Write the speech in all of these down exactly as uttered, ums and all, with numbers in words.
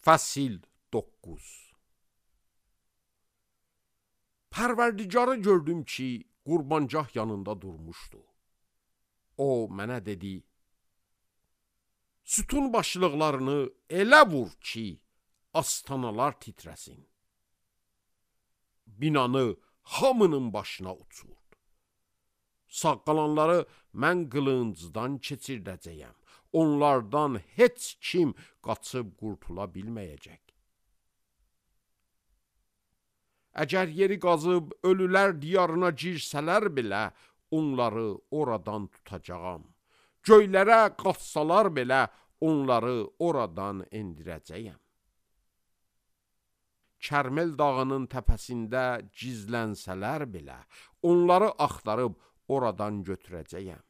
Fəsil doqquz. Pərverdigarı gördüm ki, qurbancah yanında durmuşdu. O mənə dedi, sütun başlıqlarını elə vur ki, astanalar titrəsin. Binanı hamının başına uçurdu. Sağ qalanları mən qılıncdan keçirdəcəyəm. Onlardan heç kim qaçıb qurtula bilməyəcək. Əgər yeri qazıb ölülər diyarına girsələr belə, onları oradan tutacağam. Göylərə qaçsalar belə, onları oradan endirəcəyəm. Kərmel dağının təpəsində gizlənsələr belə, onları axtarıb oradan götürəcəyəm.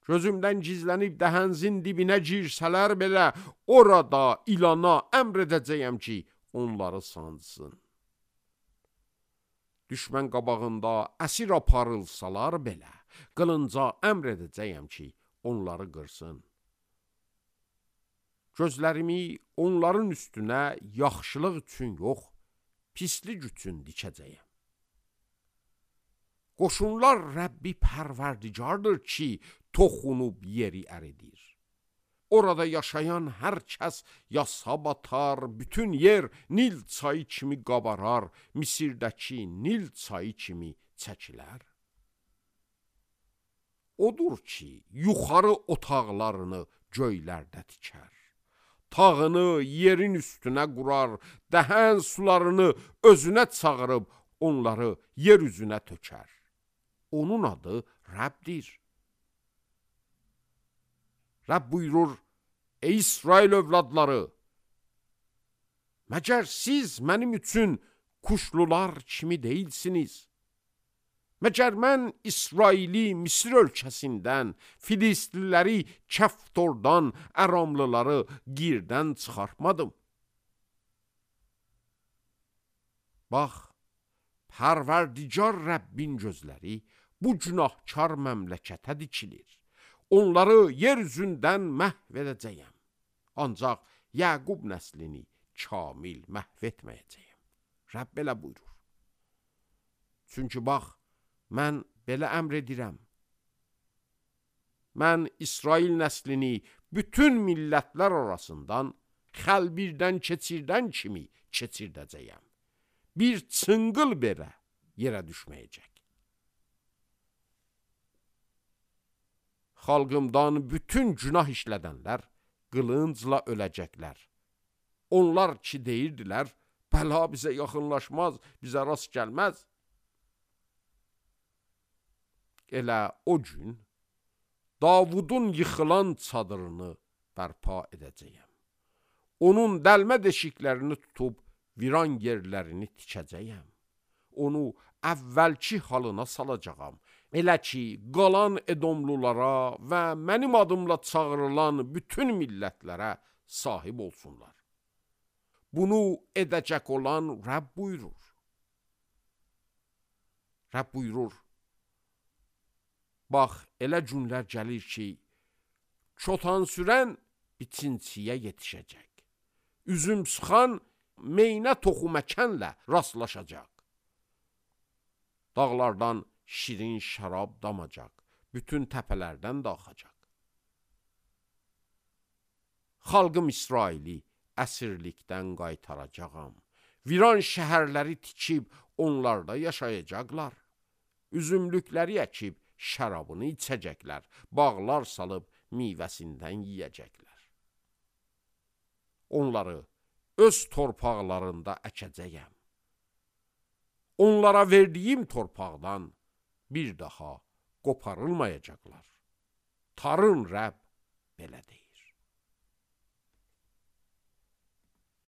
Gözümdən gizlənib dəhənzin dibinə girsələr belə, orada ilana əmr edəcəyəm ki, onları sansın. Düşmən qabağında əsir aparılsalar belə, qılınca əmr edəcəyəm ki, onları qırsın. Gözlərimi onların üstünə yaxşılıq üçün yox, pislik üçün dikəcəyəm. Qoşunlar Rəbbi pərverdigardır ki, toxunub yeri əridir. Orada yaşayan hər kəs yasa batar, bütün yer Nil çayı kimi qabarar, Misirdəki Nil çayı kimi çəkilər. Odur ki, yuxarı otaqlarını göylərdə tikər. Tağını yerin üstünə qurar, dəhən sularını özünə çağırıb, onları yer üzünə tökər. Onun adı Rəbdir. Rəbb buyurur, ey İsrail övladları, məgər siz mənim üçün kuşlular kimi deyilsiniz? Məgər mən İsraili Misir ölkəsindən, Filistliləri Kəftordan, Əramlıları Girdən çıxartmadım. Bax, Pərverdigar Rəbbin gözləri bu günahkar məmləkətə dikilir. Onları yer üzündən məhv edəcəyəm. Ancaq Yaqub nəslini kamil məhv etməyəcəyəm. Rəbb belə buyurur. Çünki bax, mən belə əmr edirəm. Mən İsrail nəslini bütün millətlər arasından xəlbirdən keçirdən kimi keçirdəcəyəm. Bir çınqıl belə yerə düşməyəcək. Xalqımdan bütün günah işlədənlər qılıncla öləcəklər. Onlar ki deyirdilər, bəla bizə yaxınlaşmaz, bizə rast gəlməz. Elə o gün Davudun yıxılan çadırını bərpa edəcəyəm. Onun dəlmə deşiklərini tutub viran yerlərini tikəcəyəm. Onu əvvəlki halına salacağam. Elə ki, qalan Edomlulara və mənim adımla çağırılan bütün millətlərə sahib olsunlar. Bunu edəcək olan Rəbb buyurur. Rəbb buyurur, bax, elə günlər gəlir ki, çotan sürən biçinciyə yetişəcək. Üzüm sıxan meynə toxuməkənlə rastlaşacaq. Dağlardan şirin şərab damacaq, bütün təpələrdən də axacaq. Xalqım İsraili əsirlikdən qaytaracağam. Viran şəhərləri tikib onlarda yaşayacaqlar. Üzümlükləri əkib şərabını içəcəklər, bağlar salıb meyvəsindən yiyəcəklər. Onları öz torpaqlarında əkəcəyəm. Onlara verdiyim torpaqdan bir daha qoparılmayacaqlar. Tarın Rəbb belə deyir.